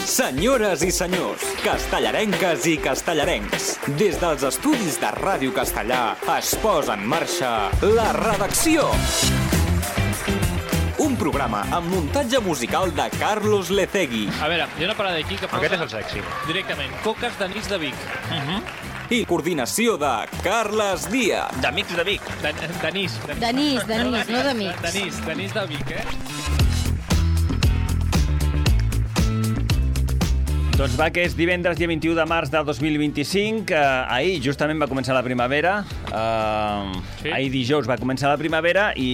Senyores i senyors, castellarenques i castellarencs, des dels estudis de Ràdio Castellà es posa en marxa La Redacció. Un programa amb muntatge musical de Carlos Lecegui. A veure, hi ha una parada aquí que posa... Aquest és el sexy. Directament, coques d'anís de Vic. I coordinació de Carles Díaz. D'amics de Vic. D'anís. D'anís, no d'amics. D'anís de Vic, Doncs va, que és divendres, dia 21 de març del 2025. Ahir justament va començar la primavera. Sí. Ahir dijous va començar la primavera i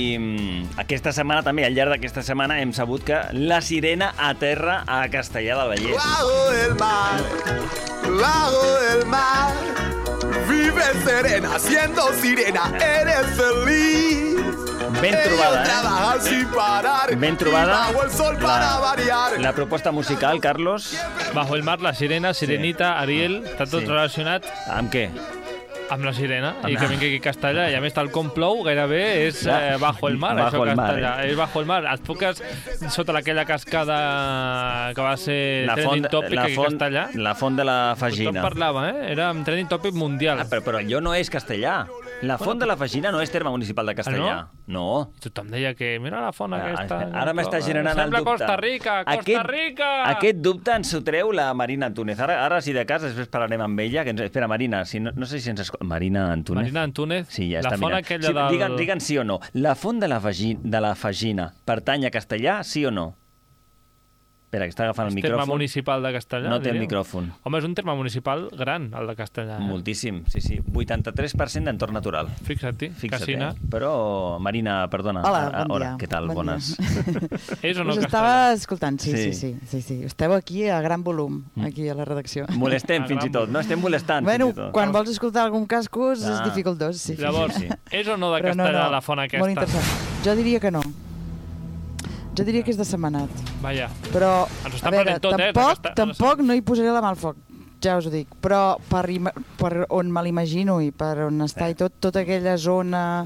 aquesta setmana també, al llarg d'aquesta setmana, hem sabut que la sirena aterra a Castellar del Vallès. Bajo el mar, vive serena, siendo sirena, eres feliz. Ben trobada, Trabajar sin parar. Ben trobada. Y bajo el sol para variar. La proposta musical, Carlos, Bajo el mar, la sirena, Sirenita, Ariel, està tot Sí. relacionat amb què? amb la sirena i que vingui aquí a Castellà. I a més, tal com plou, gairebé és bajo el mar, Bajo això el mar, Castellà. És bajo el mar. Et foques sota aquella cascada que va ser trending topic aquí a Castellà. La font de la Tothom Fagina. parlava, Era un trending topic mundial. Però allò no és Castellà. La font de la Fagina no és terme municipal de Castellà. No. I tothom deia que mira la font aquesta. Ara m'està generant el Sembla dubte. Costa Rica, Costa Rica! Aquest dubte ens ho treu la Marina Antúnez. Ara si de cas, després parlarem amb ella. Espera, Marina, no sé si ens escolta. Marina Antúnez. Marina Antúnez, Sí, ja la està font mirant. aquella del... Digue'n sí o no. La font de la Fagina pertany a Castellà, sí o no? Espera, que està agafant el És terme micròfon. municipal de Castellà. No té el diríeu. micròfon. Home, és un terme municipal gran, el de Castellà. Moltíssim, sí. 83% d'entorn natural. Fixa't-hi, Casina. Però, Marina, perdona. Hola, bon dia. Què tal? Bon Bones. És o no Us Castellà? estava escoltant, Sí. sí. Esteu aquí a gran volum, aquí a la redacció. Molestem fins i tot, no? Estem molestant Bueno, fins i tot. quan vols escoltar algun cascos és Ah. dificultós, sí. Llavors, Sí. és o no de Però Castellà la font aquesta? Molt interessant. Jo diria que no. Jo diria que és de Setmanat. Vaja. Però, Ens ho està a veure, prenent tot, tampoc no hi posaré la mà al foc, ja us ho dic. Però per on me l'imagino i per on està i tota aquella zona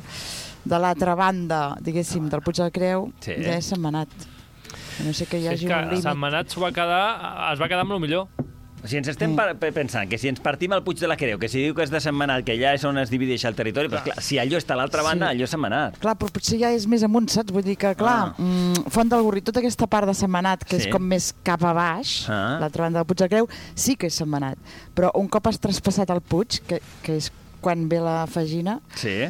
de l'altra banda, diguéssim, del Puig de la Creu, Sí. ja és Setmanat. A no sé que hi És hagi que un límit. Setmanat es va quedar amb el millor. O sigui, ens estem pensant que si ens partim al Puig de la Creu, que si diu que és de Setmanat, que ja és on es divideix el territori, doncs clar, si allò està a l'altra banda, Sí. allò és Setmanat. Clar, però potser ja és més amunt, saps? Vull dir que, clar, Font del Gorri, tota aquesta part de Setmanat, que Sí. és com més cap a baix, l'altra banda del Puig de la Creu, sí que és Setmanat. Però un cop has traspassat el Puig, que és quan ve la Fagina, Sí.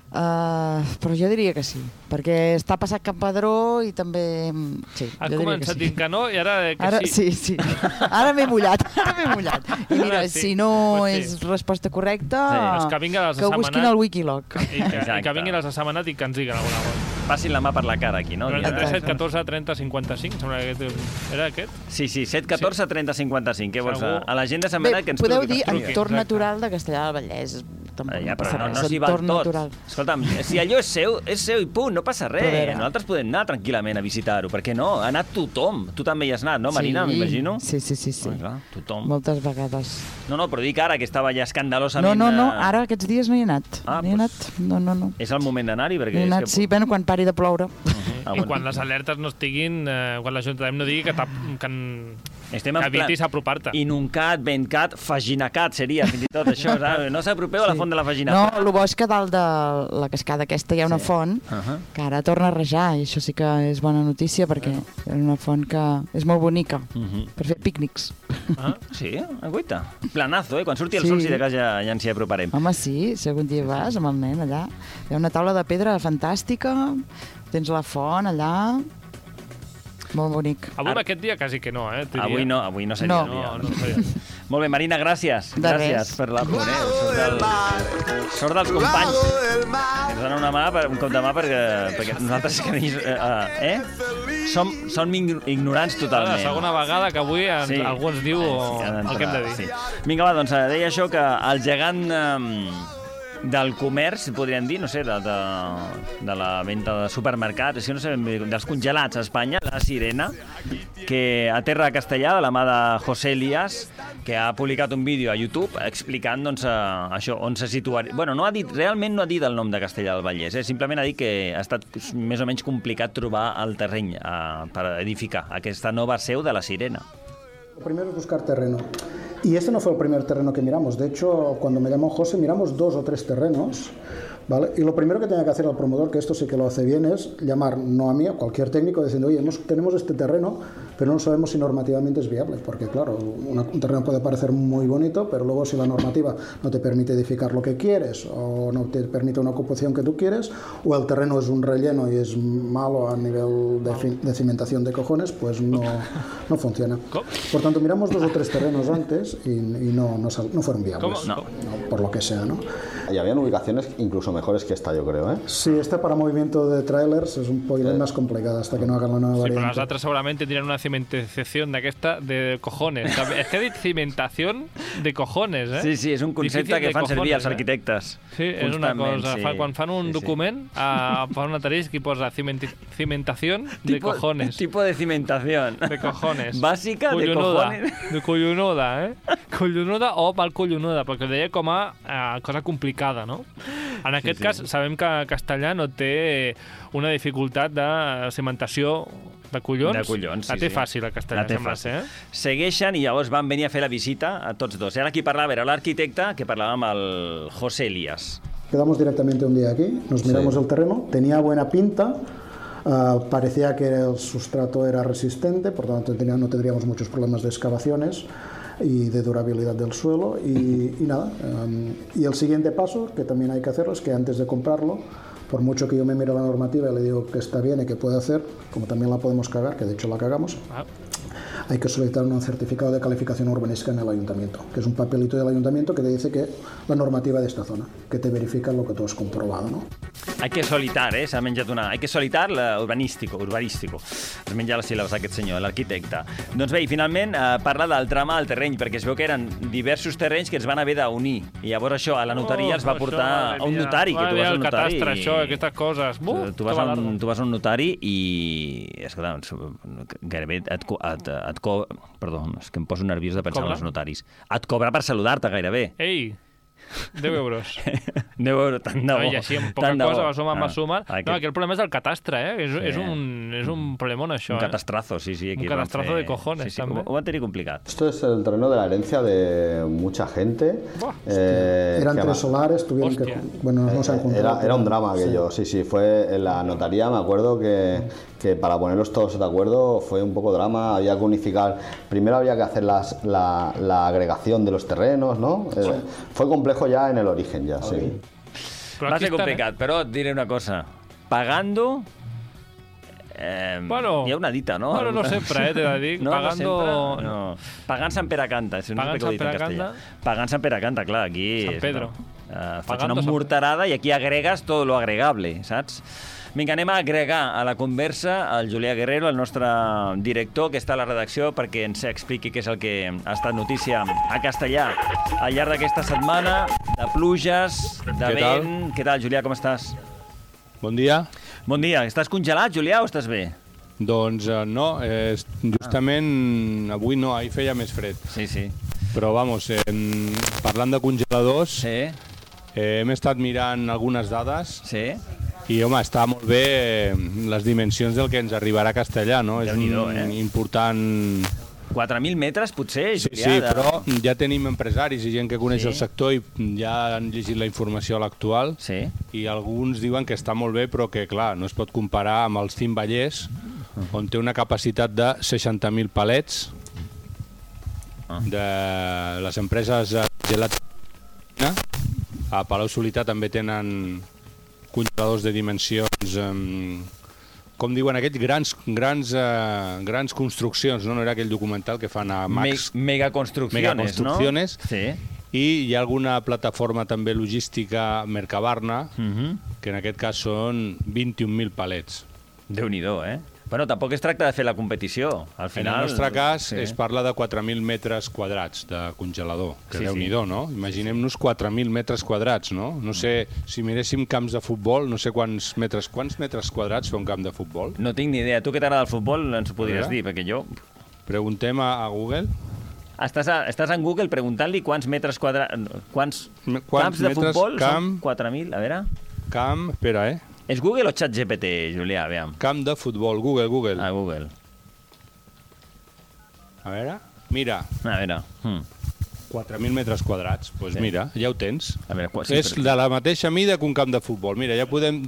però jo diria que sí, perquè està passat Campadró i també... Sí, Has jo diria que començat sí. dient que no i ara que Ara, sí. sí. Ara m'he mullat, I mira, Ara sí. si no Pues sí. és resposta correcta, Doncs que vinga les de que ho busquin Setmanat. al Wikilog. I Exacte. que vinguin els de Setmanat i que ens diguin alguna cosa. Passin la mà per la cara aquí, no? 37, 14, 30, 55, sembla que era aquest. Sí, 7, 14, 30, 55. Què vols? Segur. A la gent de Bé, Setmanat que ens podeu truqui, dir que ens truqui. entorn Exacte. natural de Castellar del Vallès. Tampoc Ja, passa però no res, s'hi val entorn tot. natural. Escolta'm, si allò és seu i punt, no passa res. Però a veure. Nosaltres podem anar tranquil·lament a visitar-ho. Per què no? Ha anat tothom. Tu també hi has anat, no, Marina? Sí. M'imagino. Sí. Ah, clar, tothom. Moltes vegades. No, però dic ara, que estava ja escandalosament... No, ara aquests dies no hi he anat. Ah, no hi he anat, no. És el moment d'anar-hi, perquè... No he és anat, que... sí, bueno, quan pari de ploure. Ah, I quan les alertes no estiguin, quan l'Ajuntament no digui que Estem en plan evitis apropar-te. Inuncat, Ventcat, Faginacat seria fins i tot això, saps? No s'apropeu a la font de la Fagina. No, el bo és que dalt de la cascada aquesta hi ha una font que ara torna a rajar, i això sí que és bona notícia, perquè és una font que és molt bonica per fer pícnics. Sí? Guaita. Planazo, Quan surti el Sí. sol, si de cas ja ens hi aproparem. Home, sí, si algun dia vas amb el nen allà. Hi ha una taula de pedra fantàstica, tens la font allà, molt bonic. Avui amb aquest dia quasi que no, t'ho Avui diria. no seria el No. dia. No seria. Molt bé, Marina, gràcies. De Gràcies res. per l'apunt, Bajo el mar, Sort dels companys. bajo el mar, Ens donen una mà, un cop de mà, perquè nosaltres som ignorants La totalment. segona vegada que avui algú ens diu el que hem de dir. Sí. Vinga, va, doncs deia això, que el gegant del comerç, podríem dir, no sé, de la venda de supermercats, no sé, dels congelats a Espanya, la Sirena, que aterra a Castellà de la mà de José Elías, que ha publicat un vídeo a YouTube explicant doncs, això, on se situaria. Bueno, realment no ha dit el nom de Castellà del Vallès, simplement ha dit que ha estat més o menys complicat trobar el terreny per edificar aquesta nova seu de la Sirena. Lo primero es buscar terreno. Y este no fue el primer terreno que miramos. De hecho, cuando me llamó José, miramos 2 o 3 terrenos. ¿Vale? Y lo primero que tenía que hacer el promotor, que esto sí que lo hace bien, es llamar, no a mí, a cualquier técnico, diciendo, oye, tenemos este terreno, pero no sabemos si normativamente es viable, porque claro, un terreno puede parecer muy bonito, pero luego si la normativa no te permite edificar lo que quieres, o no te permite una ocupación que tú quieres, o el terreno es un relleno y es malo a nivel de cimentación de cojones, pues no funciona. Por tanto, miramos 2 o 3 terrenos antes y no fueron viables. No, por lo que sea, ¿no? Y habían ubicaciones incluso mejores que esta, yo creo, ¿eh? Sí, esta para movimiento de trailers es un poquito más complicada hasta que no hagan la nueva variante. Però les altres segurament tindrien una cimentació d'aquesta de cojones. És que ha dit cimentació de cojones, eh? Sí, és un concepte que fan servir els arquitectes. Sí, és una cosa. Quan fan un document, fan un asterisc i posa cimentació de cojones. Tipo de cimentación. De cojones. Bàsica de cojones. De collonuda, eh? Collonuda o mal collonuda, perquè ho deia com a cosa complicada, no? En aquest cas, sabem que Castellà no té una dificultat de cimentació de collons. De collons, sí. La té fàcil, a Castellà, sembla ser. Segueixen i llavors van venir a fer la visita a tots dos. I ara qui parlava era l'arquitecte, que parlava amb el José Elías. Quedamos directamente un día aquí, nos miramos el terreno, tenía buena pinta, parecía que el sustrato era resistente, por tanto no tendríamos muchos problemas de excavaciones y de durabilidad del suelo y nada. Y el siguiente paso, que también hay que hacerlo, es que antes de comprarlo, por mucho que yo me mire la normativa y le digo que está bien y que puede hacer, como también la podemos cagar, que de hecho la cagamos, hay que solicitar un certificado de calificación urbanística en el ayuntamiento, que es un papelito del ayuntamiento que te dice que la normativa de esta zona, que te verifica lo que tú has comprobado, ¿no? Hay que solitar, s'ha menjat una... Hay que solitar urbanístico. Es menja les síl·labes aquest senyor, l'arquitecte. Doncs bé, i finalment parla del tram al terreny, perquè es veu que eren diversos terrenys que es van haver d'unir. I llavors això a la notaria els va portar a un notari, que tu vas al notari... El catastre, això, aquestes coses... Tu vas a un notari i... Escolta, gairebé Perdó, és que em poso nerviós de pensar en els notaris. Et cobra per saludar-te, gairebé. Ei! 10 euros. 10 euros, tant de bo. I així, amb poca cosa, va sumar. No, aquí el problema és el catastre, eh? És un problemón, això. Un catastrazo, sí. Un catastrazo de cojones, també. Ho van tenir complicat. Esto es el terreno de la herencia de mucha gente. Eran 3 solares, tuvieron que... Bueno, no se han juntado. Era un drama aquello, sí. Fue en la notaría, me acuerdo que para ponerlos todos de acuerdo fue un poco drama, había que unificar, primero había que hacer la agregación de los terrenos, ¿no? Fue complejo ya en el origen, ya, sí. Va ser complicat, però et diré una cosa. Pagando... Bueno, hi ha una dita, no? Bueno, no sempre, t'he de dir. No, Pagando... No. Pagant Sant Pere canta. Pagant Sant Pere canta. Pagant Sant Pere canta, clar, aquí... Sant Pedro. Faig una morterada i aquí agregues tot lo agregable, saps? Vinga, anem a agregar a la conversa el Julià Guerrero, el nostre director, que està a la redacció perquè ens expliqui què és el que ha estat notícia a Castellà al llarg d'aquesta setmana, de pluges, de vent... Què tal, Julià, com estàs? Bon dia. Bon dia. Estàs congelat, Julià, o estàs bé? Doncs no, justament avui no, ahir feia més fred. Sí. Però, vamos, parlant de congeladors, hem estat mirant algunes dades. Sí. I, home, està molt bé les dimensions del que ens arribarà a Castellà, no? És important... 4.000 metres, potser, Julià? Sí, però ja tenim empresaris i gent que coneix el sector i ja han llegit la informació a l'actual i alguns diuen que està molt bé, però que, clar, no es pot comparar amb el Cim Vallès, on té una capacitat de 60.000 palets. De les empreses gelatina, a Palau-solità també tenen congeladors de dimensions, com diuen aquests, grans construccions, no era aquell documental que fan a Max? Megaconstrucciones, no? Sí. I hi ha alguna plataforma també logística, Mercabarna, que en aquest cas són 21.000 palets. Déu-n'hi-do, eh? Bueno, tampoc es tracta de fer la competició. Al final... En el nostre cas es parla de 4.000 metres quadrats de congelador, que Déu-n'hi-do, no? Imaginem-nos 4.000 metres quadrats, no? No sé, si miréssim camps de futbol, no sé quants metres quadrats fa un camp de futbol. No tinc ni idea. Tu que t'agrada el futbol ens ho podries dir, perquè jo... Preguntem a Google. Estàs en Google preguntant-li quants metres quadrats... Quants camps de futbol són 4.000? A veure... Camp... Espera, És Google o ChatGPT, Julià? Aviam. Camp de futbol, Google. Ah, Google. A veure... Mira. A veure... 4.000 metres quadrats, doncs mira, ja ho tens. A veure, és de la mateixa mida que un camp de futbol. Mira, ja podem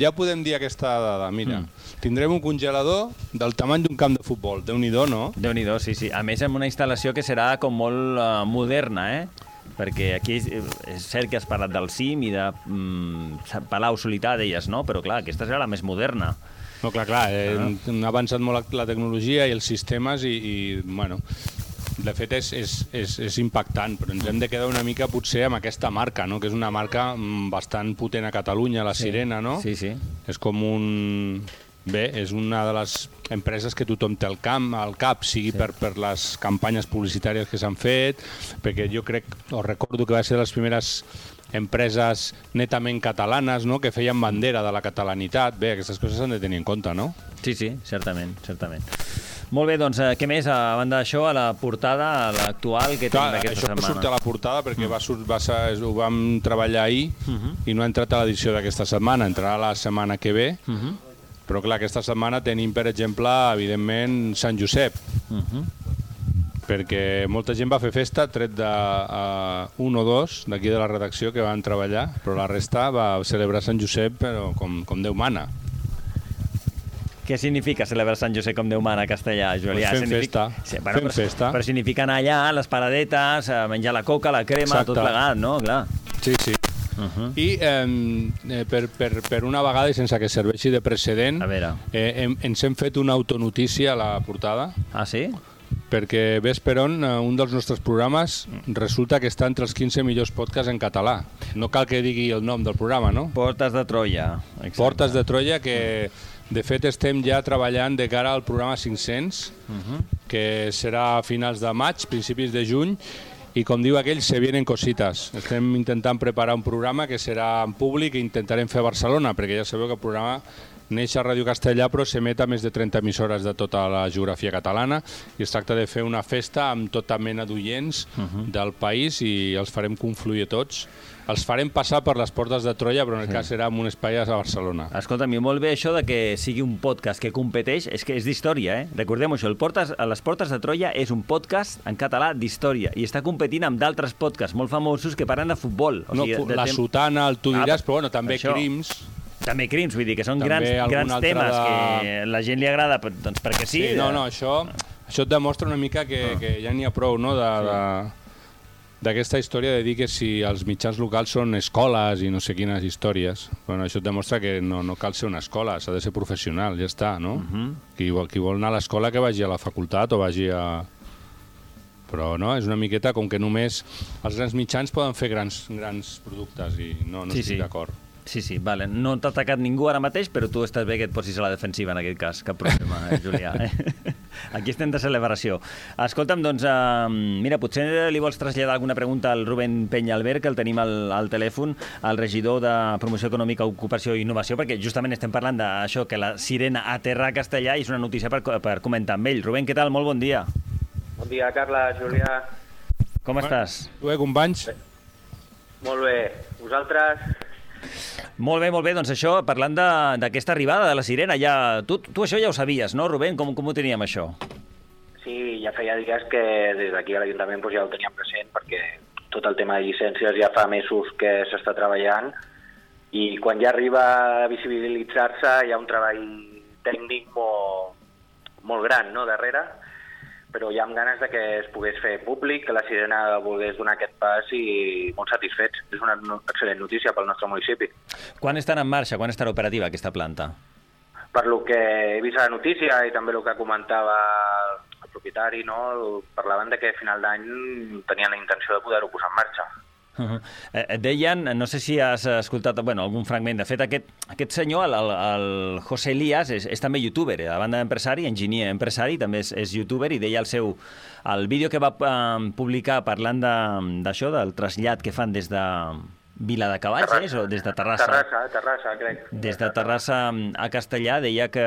dir aquesta dada. Mira, tindrem un congelador del tamany d'un camp de futbol. Déu-n'hi-do, no? Déu-n'hi-do, sí. A més, amb una instal·lació que serà com molt moderna, perquè aquí és cert que has parlat del CIM i de Palau Solità, deies, no? Però clar, aquesta serà la més moderna. No, clar, ha avançat molt la tecnologia i els sistemes i bueno... De fet, és impactant, però ens hem de quedar una mica potser amb aquesta marca, no? Que és una marca bastant potent a Catalunya, la Sirena, no? Sí. És com un... Bé, és una de les empreses que tothom té al cap, sigui per les campanyes publicitàries que s'han fet, perquè jo recordo que va ser de les primeres empreses netament catalanes, no?, que feien bandera de la catalanitat. Bé, aquestes coses s'han de tenir en compte, no? Sí, certament. Molt bé, doncs, què més? A banda d'això, a la portada, a l'actual, què tenim aquesta setmana? Això surt a la portada perquè ho vam treballar ahir i no ha entrat a l'edició d'aquesta setmana, entrarà la setmana que ve, però clar, aquesta setmana tenim, per exemple, evidentment, Sant Josep, perquè molta gent va fer festa, tret d'un o dos d'aquí de la redacció que van treballar, però la resta va celebrar Sant Josep però com Déu mana. Què significa celebrar Sant Josep com Déu mana a castellà, Julià? Fem festa. Fem festa. Però significa anar allà, les paradetes, menjar la coca, la crema, tot plegat, no? Clar. Sí. I per una vegada, i sense que serveixi de precedent, ens hem fet una autonotícia a la portada. Ah, sí? Perquè ves per on un dels nostres programes resulta que està entre els 15 millors podcasts en català. No cal que digui el nom del programa, no? Portes de Troia. Exacte. Portes de Troia, que de fet estem ja treballant de cara al programa 500, que serà a finals de maig, principis de juny, i com diu aquell, se vienen cositas. Estem intentant preparar un programa que serà en públic i intentarem fer a Barcelona, perquè ja sabeu que el programa neix a Ràdio Castellà, però s'emet a més de 30 emissores de tota la geografia catalana i es tracta de fer una festa amb tota mena d'oients del país i els farem confluir tots. Els farem passar per les portes de Troia, però en el cas serà en un espai a Barcelona. Escolta'm, molt bé això de que sigui un podcast que competeix, és que és d'història, Recordem això, les portes de Troia és un podcast en català d'història i està competint amb d'altres podcasts molt famosos que parlen de futbol. La Sotana, el Tu diràs, però bueno, també Crims. També Crims, vull dir que són grans temes que a la gent li agrada, doncs perquè sí. Això et demostra una mica que ja n'hi ha prou, no?, d'aquesta història de dir que si els mitjans locals són escoles i no sé quines històries. Bueno, això et demostra que no cal ser una escola, s'ha de ser professional, ja està, no? Qui vol anar a l'escola que vagi a la facultat o vagi a... Però no, és una miqueta com que només els grans mitjans poden fer grans productes i no estic d'acord. Sí, vale. No t'ha atacat ningú ara mateix, però tu estàs bé que et posis a la defensiva en aquest cas. Cap problema, Julià. Aquí estem de celebració. Escolta'm, doncs, mira, potser li vols traslladar alguna pregunta al Rubén Peñalver, que el tenim al telèfon, al regidor de Promoció Econòmica, Ocupació i Innovació, perquè justament estem parlant d'això, que la Sirena aterra a Castellà i és una notícia per comentar amb ell. Rubén, què tal? Molt bon dia. Bon dia, Carla, Julià. Com estàs? Bé, companys? Molt bé. Vosaltres? Molt bé. Doncs això, parlant d'aquesta arribada de la Sirena, tu això ja ho sabies, no, Rubén? Com ho teníem, això? Sí, ja feia dies que des d'aquí a l'Ajuntament ja ho teníem present, perquè tot el tema de llicències ja fa mesos que s'està treballant i quan ja arriba a visibilitzar-se hi ha un treball tècnic molt gran, no?, darrere, però ja amb ganes de que es pogués fer públic, que la Sirena volgués donar aquest pas i molt satisfets. És una excel·lent notícia pel nostre municipi. Quan estan en marxa, quan estarà operativa aquesta planta? Per lo que he vist a la notícia i també el que comentava el propietari, no, parlaven de que a final d'any tenien la intenció de poder-ho posar en marxa. Deien, no sé si has escoltat algun fragment, de fet aquest senyor, el José Elías, és també youtuber, a banda d'empresari, enginyer empresari, també és youtuber, i deia el vídeo que va publicar parlant d'això, del trasllat que fan des de Viladecavalls, o des de Terrassa? Terrassa, crec. Des de Terrassa a Castellà, deia que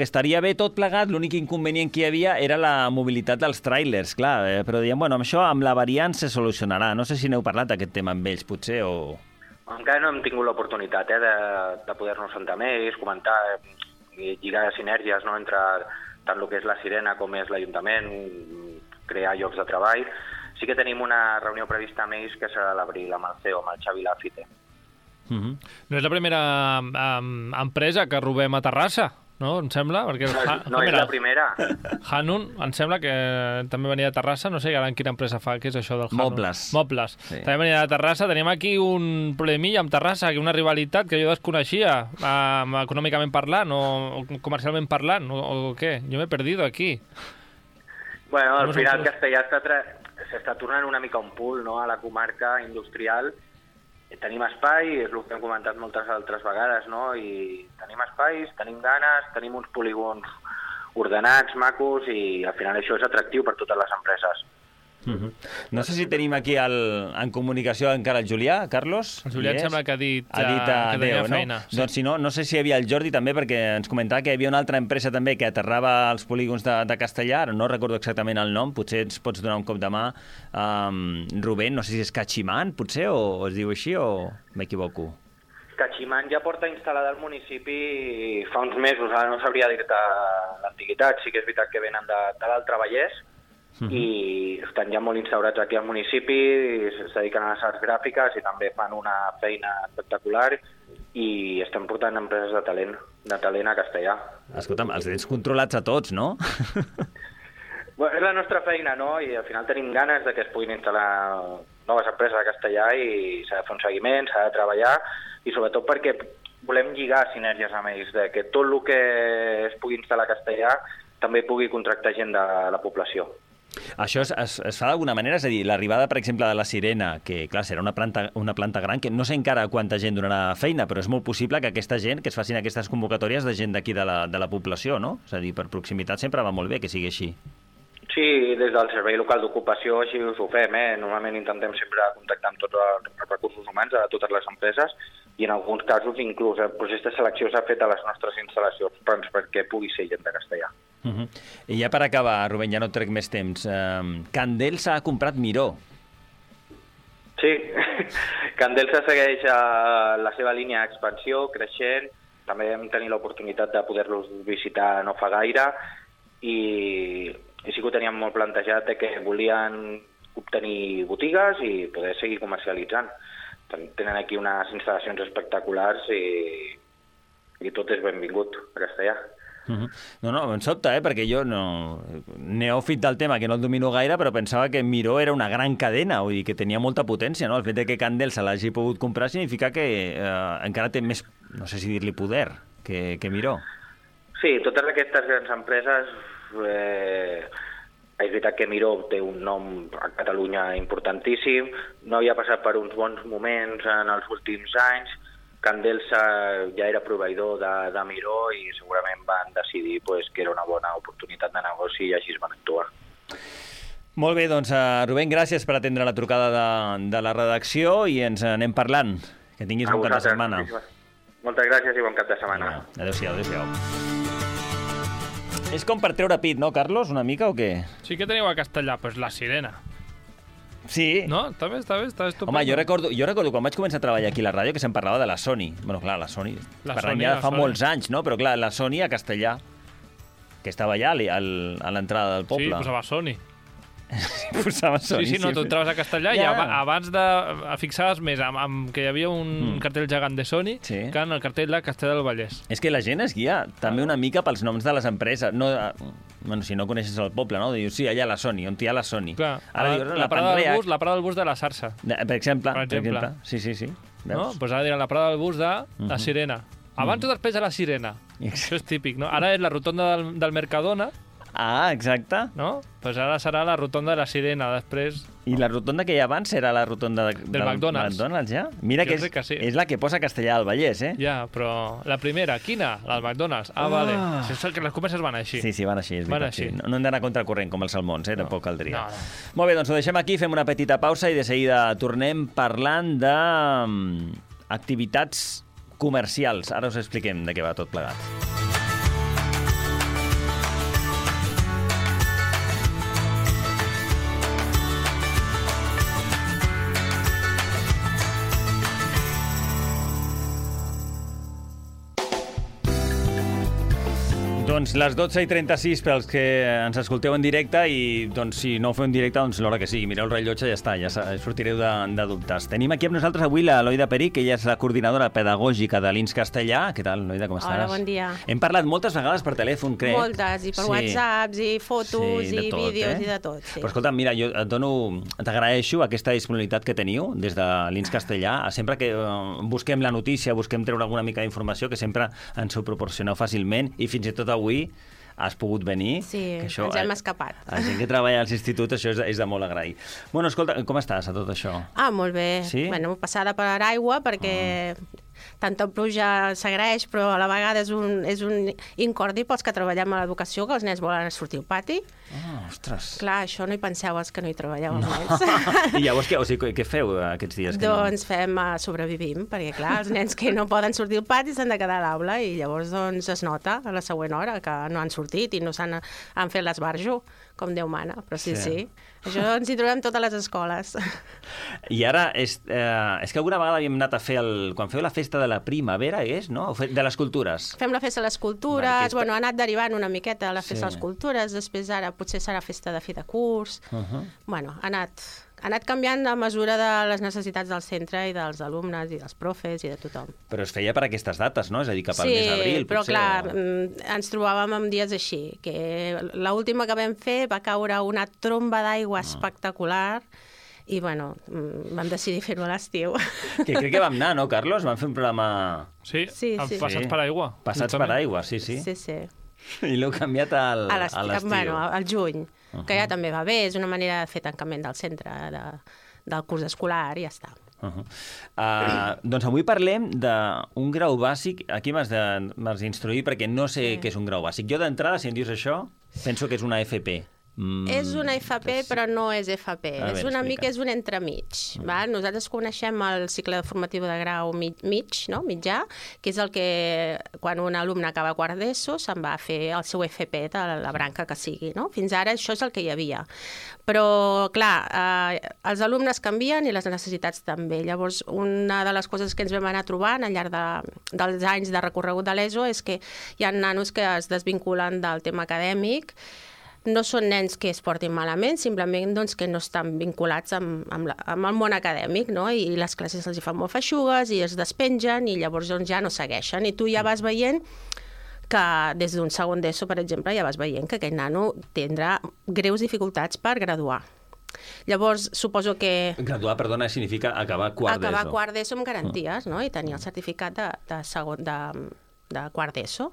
estaria bé tot plegat, l'únic inconvenient que hi havia era la mobilitat dels tràilers, clar, però dèiem, amb això, amb la variant se solucionarà. No sé si n'heu parlat d'aquest tema amb ells, potser, o... Encara no hem tingut l'oportunitat de poder-nos sentar més, comentar, lligar sinergies, no?, entre tant el que és la Sirena com és l'Ajuntament, crear llocs de treball. Sí que tenim una reunió prevista amb ells que serà a l'abril amb el CEO, amb el Xavi Lafite. No és la primera empresa que robem a Terrassa, no? Em sembla? Perquè No és la primera. Hanun, em sembla que també venia de Terrassa, no sé ara en quina empresa fa, què és això del Hanun? Mobles. Sí. També venia de Terrassa. Tenim aquí un problemilla amb Terrassa, una rivalitat que jo desconeixia, econòmicament parlant o comercialment parlant, o què? Jo m'he perdido aquí. Bueno, al final Castellà s'està tornant una mica un pool, no?, a la comarca industrial. Tenim espai, és el que hem comentat moltes altres vegades, no? I tenim espais, tenim ganes, tenim uns polígons ordenats, macos, i al final això és atractiu per totes les empreses. No sé si tenim aquí en comunicació encara el Julià, Carlos. El Julià em sembla que ha dit que tenia feina. Sí. Doncs si no, no sé si hi havia el Jordi també, perquè ens comentava que hi havia una altra empresa també que aterrava als polígons de Castellà, no recordo exactament el nom, potser ens pots donar un cop de mà. Rubén, no sé si és Cachiman, potser, o es diu així, o m'equivoco? Cachiman ja porta instal·lada al municipi fa uns mesos, ara no sabria dir-te l'antiguitat, sí que és veritat que venen de l'Altre Vallès, i estan ja molt instaurats aquí al municipi, es dediquen a les arts gràfiques i també fan una feina espectacular i estan portant empreses de talent a Castellà. Escolta'm, els tens controlats a tots, no? Bueno, és la nostra feina, no? I al final tenim ganes de que es puguin instal·lar noves empreses a Castellà i s'ha de fer un seguiment, s'ha de treballar i sobretot perquè volem lligar sinergies amb ells, de que tot el que es pugui instal·lar a Castellà també pugui contractar gent de la població. Això es fa d'alguna manera? És a dir, l'arribada, per exemple, de la Sirena, que, clar, serà una planta gran, que no sé encara quanta gent donarà feina, però és molt possible que aquesta gent, que es facin aquestes convocatòries de gent d'aquí de la població, no? És a dir, per proximitat sempre va molt bé que sigui així. Sí, des del Servei Local d'Ocupació així us ho fem, Normalment intentem sempre contactar amb tots els recursos humans de totes les empreses i en alguns casos inclús el procés de selecció s'ha fet a les nostres instal·lacions perquè pugui ser gent de Castellà. I ja per acabar, Rubén, ja no trec més temps. Candelsa ha comprat Miró. Sí, Candelsa segueix la seva línia d'expansió, creixent. També vam tenir l'oportunitat de poder-los visitar no fa gaire i sí que ho teníem molt plantejat de que volien obtenir botigues i poder seguir comercialitzant. Tenen aquí unes instal·lacions espectaculars i tot és benvingut a Castellà. No, em sobta, perquè jo neòfit del tema, que no el domino gaire, però pensava que Miró era una gran cadena, vull dir que tenia molta potència, no? El fet que Candel se l'hagi pogut comprar significa que encara té més, no sé si dir-li poder, que Miró. Sí, totes aquestes grans empreses, és veritat que Miró té un nom a Catalunya importantíssim, no havia passat per uns bons moments en els últims anys. Candelsa ja era proveïdor de Miró i segurament van decidir que era una bona oportunitat de negoci i així es van actuar. Molt bé, doncs, Rubén, gràcies per atendre la trucada de la redacció i ens anem parlant. Que tinguis un cap de setmana. Moltes gràcies i bon cap de setmana. Adéu-siau, adéu-siau. És com per treure pit, no, Carlos, una mica o què? Sí, que teniu a Castellà? Pues la Sirena. Sí. No? Està bé, està estupendo. Home, jo recordo quan vaig començar a treballar aquí a la ràdio que se'n parlava de la Sony. Bueno, clar, la Sony. Parlem ja fa molts anys, no? Però clar, la Sony a Castellà, que estava allà a l'entrada del poble. Sí, posava Sony. Posava Sony. Sí, no, tu entraves a Castellà i abans de fixaves més que hi havia un cartell gegant de Sony que en el cartell de Castellà del Vallès. És que la gent es guia també una mica pels noms de les empreses. Bueno, si no coneixes el poble, no? Dius, sí, allà a la Sony, on hi ha la Sony. Clar, la parada del bus de la Sarsa. Per exemple. Sí. No? Pues ara diran la parada del bus de la Sirena. Abans o després de la Sirena. Això és típic, no? Ara és la rotonda del Mercadona. Ah, exacte. No? Pues ara serà la rotonda de la Sirena, després... I la rotonda que hi ha abans era la rotonda del McDonald's, ja? Mira que és la que posa Castellà del Vallès, Ja, però la primera, quina? La del McDonald's. Ah, vale. És que les comerces van així. Sí, van així, és veritat. Sí. No hem d'anar contracorrent com els salmons, tampoc caldria. No. Molt bé, doncs ho deixem aquí, fem una petita pausa i de seguida tornem parlant d'activitats comercials. Ara us expliquem de què va tot plegat. Doncs Doncs les 12:36 pels que ens escolteu en directe i doncs, si no ho feu en directe, doncs l'hora que sigui. Mireu el rellotge i ja està, ja sortireu de dubtes. Tenim aquí amb nosaltres avui la Loida Peric, que ella és la coordinadora pedagògica de l'INS Castellà. Què tal, Loida, com estàs? Hola, bon dia. Hem parlat moltes vegades per telèfon, crec. Moltes, i per WhatsApps, i fotos, i vídeos, i de tot. Sí. Però escolta, mira, jo t'agraeixo aquesta disponibilitat que teniu des de l'INS Castellà. Sempre que busquem la notícia, busquem treure alguna mica d'informació, que sempre ens ho proporcioneu fàcilment, i fins i tot avui has pogut venir. Sí, que això, ens hem escapat. La gent que treballa als instituts, això és de molt agrair. Bueno, escolta, com estàs a tot això? Molt bé. Sí? Bueno, passada per aigua, perquè tanta pluja s'agraeix, però a la vegada és un incordi pels que treballem a l'educació, que els nens volen sortir al pati. Ostres. Clar, això no hi penseu els que no hi treballeu, els nens. I llavors què feu aquests dies? Doncs sobrevivim, perquè clar, els nens que no poden sortir al pati s'han de quedar a l'aula i llavors doncs, es nota a la següent hora que no han sortit i no han fet l'esbarjo, com Déu mana, però sí. Això ens hi trobem totes les escoles. I ara, és que alguna vegada havíem anat a fer, quan feu la festa de la primavera, no? De les cultures. Fem la festa de les cultures, ha anat derivant una miqueta a la festa de les cultures, després ara potser serà festa de fi de curs. Bueno, ha anat canviant a mesura de les necessitats del centre i dels alumnes i dels profes i de tothom. Però es feia per aquestes dates, no? És a dir, cap al mes d'abril, potser. Sí, però clar, ens trobàvem en dies així, que l'última que vam fer va caure una tromba d'aigua espectacular i, bueno, vam decidir fer-ho a l'estiu. Que crec que vam anar, no, Carlos? Vam fer un programa... Sí. Passats per aigua. Passats per aigua, sí. Sí. I l'heu canviat a l'estiu. Bueno, al juny, que ja també va bé, és una manera de fer tancament del centre, del curs escolar, i ja està. Doncs avui parlem d'un grau bàsic. Aquí m'has d'instruir perquè no sé què és un grau bàsic. Jo d'entrada, si em dius això, penso que és una FP. És una FP, però no és FP. És una mica, és un entremig. Nosaltres coneixem el cicle formatiu de grau mitjà, que és el que, quan un alumne acaba quart d'ESO, se'n va a fer el seu FP de la branca que sigui. Fins ara això és el que hi havia. Però, clar, els alumnes canvien i les necessitats també. Llavors, una de les coses que ens vam anar trobant al llarg dels anys de recorregut de l'ESO és que hi ha nanos que es desvinculen del tema acadèmic. No són nens que es portin malament, simplement que no estan vinculats amb el món acadèmic, no? I les classes els hi fan molt feixugues i es despengen i llavors ja no segueixen. I tu ja vas veient que des d'un segon d'ESO, per exemple, ja vas veient que aquell nano tindrà greus dificultats per graduar. Llavors, suposo que... Graduar, perdona, significa acabar quart d'ESO. Acabar quart d'ESO amb garanties, no? I tenir el certificat de quart d'ESO.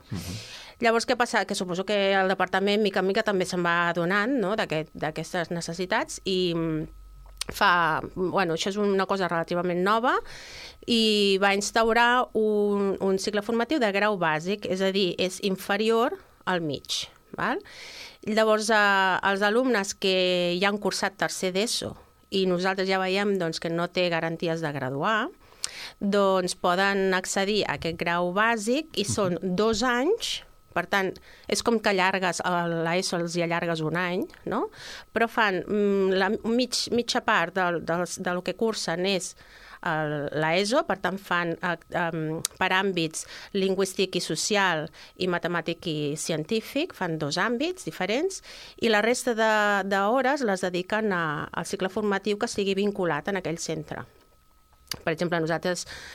Llavors, què passa? Que suposo que el departament, mica en mica, també se'n va adonant d'aquestes necessitats i això és una cosa relativament nova i va instaurar un cicle formatiu de grau bàsic, és a dir, és inferior al mig. Llavors, els alumnes que ja han cursat tercer d'ESO i nosaltres ja veiem que no té garanties de graduar, doncs poden accedir a aquest grau bàsic i són 2 anys. Per tant, és com que allargues a l'ESO, els hi allargues un any, no? Però fan la mitja part del que cursen és l'ESO, per tant fan per àmbits lingüístic i social i matemàtic i científic, fan 2 àmbits diferents, i la resta d'hores les dediquen al cicle formatiu que estigui vinculat en aquell centre. Per exemple, jo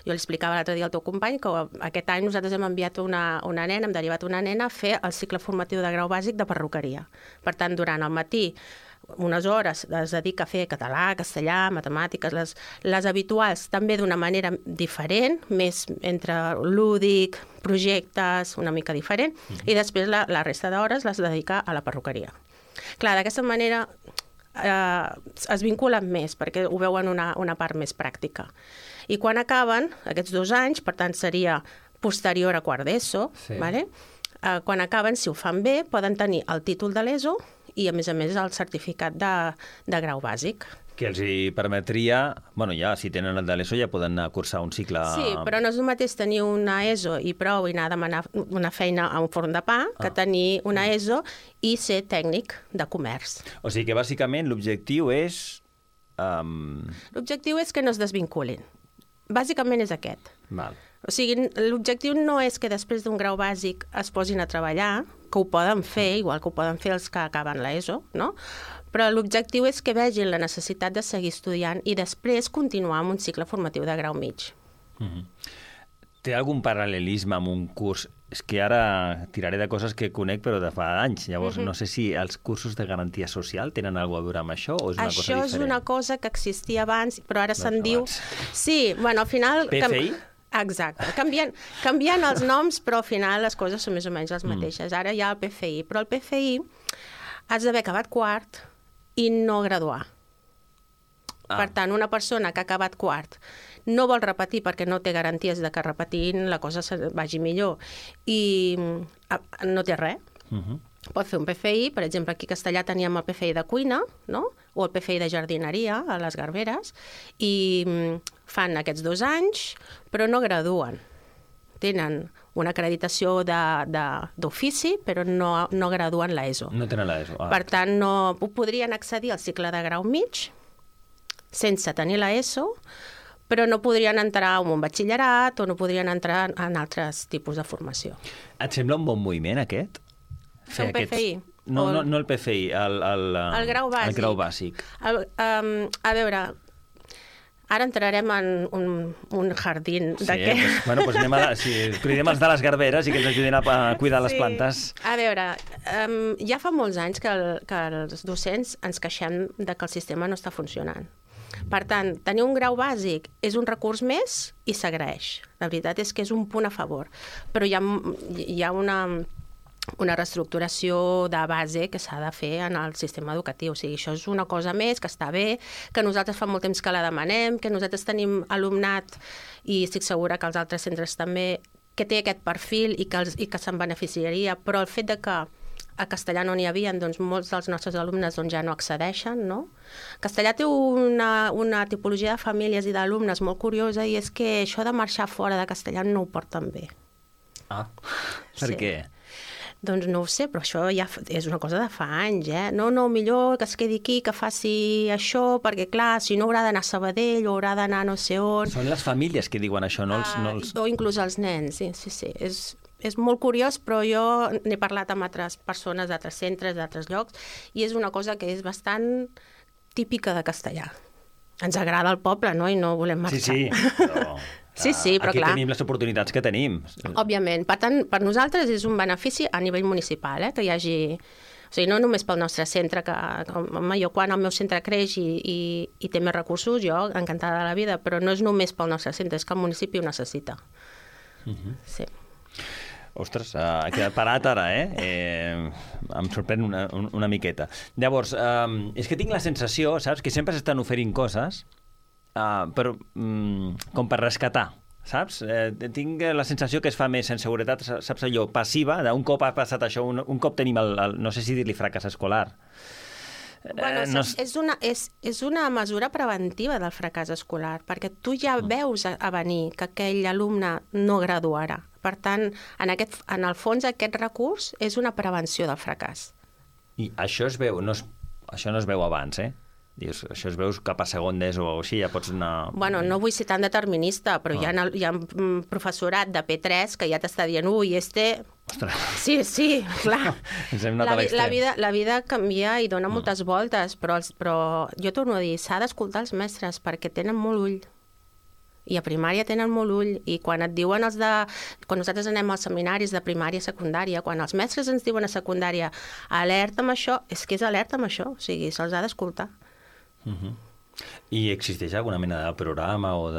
li explicava l'altre dia al teu company que aquest any nosaltres hem enviat hem derivat una nena a fer el cicle formatiu de grau bàsic de perruqueria. Per tant, durant el matí, unes hores es dedica a fer català, castellà, matemàtiques, les habituals, també d'una manera diferent, més entre lúdic, projectes, una mica diferent, i després la resta d'hores les dedica a la perruqueria. Clar, d'aquesta manera es vinculen més perquè ho veuen una part més pràctica. I quan acaben aquests 2 anys, per tant seria posterior a quart d'ESO, quan acaben, si ho fan bé, poden tenir el títol de l'ESO i a més el certificat de grau bàsic. Que els hi permetria, ja, si tenen el de l'ESO ja poden anar a cursar un cicle... Sí, però no és el mateix tenir una ESO i prou i anar a demanar una feina a un forn de pa que tenir una ESO i ser tècnic de comerç. O sigui que bàsicament l'objectiu és... L'objectiu és que no es desvinculin. bàsicament és aquest. Val. O sigui, l'objectiu no és que després d'un grau bàsic es posin a treballar, que ho poden fer, igual que ho poden fer els que acaben l'ESO, no? Però l'objectiu és que vegin la necessitat de seguir estudiant i després continuar amb un cicle formatiu de grau mig. Té algun paral·lelisme amb un curs? És que ara tiraré de coses que conec però de fa anys. Llavors, no sé si els cursos de garantia social tenen alguna cosa a veure amb això o és una cosa diferent? Això és una cosa que existia abans, però ara se'n diu... Sí, bueno, al final... PFI? Exacte. Canvien els noms, però al final les coses són més o menys les mateixes. Ara hi ha el PFI, però el PFI has d'haver acabat quart i no graduar. Per tant, una persona que ha acabat quart no vol repetir perquè no té garanties de que repetint la cosa vagi millor i no té res. Pot fer un PFI, per exemple, aquí a Castellà teníem el PFI de cuina, no? O el PFI de jardineria a les Garberes, i fan aquests 2 anys, però no graduen. Tenen una acreditació d'ofici, però no graduen l'ESO. No tenen l'ESO. Per tant, no podrien accedir al cicle de grau mig sense tenir l'ESO, però no podrien entrar en un batxillerat o no podrien entrar en altres tipus de formació. Et sembla un bon moviment, aquest? Fer un PFI? No el PFI, el grau bàsic. El grau bàsic. A veure, ara entrarem en un jardín d'aquest. Doncs anem cridem els de les Garberes i que ens ajudin a cuidar les plantes. A veure, ja fa molts anys que els docents ens queixem de que el sistema no està funcionant. Per tant, tenir un grau bàsic és un recurs més i s'agraeix. La veritat és que és un punt a favor. Però hi ha una reestructuració de base que s'ha de fer en el sistema educatiu. O sigui, això és una cosa més que està bé, que nosaltres fa molt temps que la demanem, que nosaltres tenim alumnat, i estic segura que els altres centres també, que té aquest perfil i que se'n beneficiaria, però el fet de que a Castellà no n'hi havia, doncs molts dels nostres alumnes ja no accedeixen, no? Castellà té una tipologia de famílies i d'alumnes molt curiosa i és que això de marxar fora de Castellà no ho porten bé. Per què? Doncs no ho sé, però això ja és una cosa de fa anys, No, millor que es quedi aquí, que faci això, perquè clar, si no haurà d'anar a Sabadell o haurà d'anar no sé on... Són les famílies que diuen això, no els... O inclús els nens, sí. És molt curiós, però jo n'he parlat amb altres persones d'altres centres, d'altres llocs, i és una cosa que és bastant típica de Castellà. Ens agrada el poble, no? I no volem marxar. Sí, però... però aquí clar. tenim les oportunitats que tenim. Òbviament. Per tant, per nosaltres és un benefici a nivell municipal, que hi hagi... O sigui, no només pel nostre centre, que jo quan el meu centre creix i té més recursos, jo encantada de la vida, però no és només pel nostre centre, és que el municipi ho necessita. Sí. Ostres, ha quedat parat ara, em sorprèn una miqueta. Llavors, és que tinc la sensació, saps, que sempre s'estan oferint coses però, com per rescatar, saps? Tinc la sensació que es fa més en seguretat, saps allò, passiva, d'un cop ha passat això, un cop tenim no sé si dir-li fracàs escolar. Bueno, és una mesura preventiva del fracàs escolar, perquè tu ja veus a venir que aquell alumne no graduarà. Per tant, en el fons, aquest recurs és una prevenció del fracàs. I això es veu, això no es veu abans, Dius, això es veus cap a segon d'ESO o així, ja pots anar... Bueno, no vull ser tan determinista, però hi ha professorat de P3 que ja t'està dient, Ostres. Sí, clar. Ens hem anat a l'extrem. La vida canvia i dona moltes voltes, però jo torno a dir, s'ha d'escoltar els mestres perquè tenen molt ull. I a primària tenen molt ull, i quan et diuen quan nosaltres anem als seminaris de primària i secundària, quan els mestres ens diuen a secundària alerta amb això, és que és alerta amb això, o sigui, se'ls ha d'escoltar. I existeix alguna mena de programa o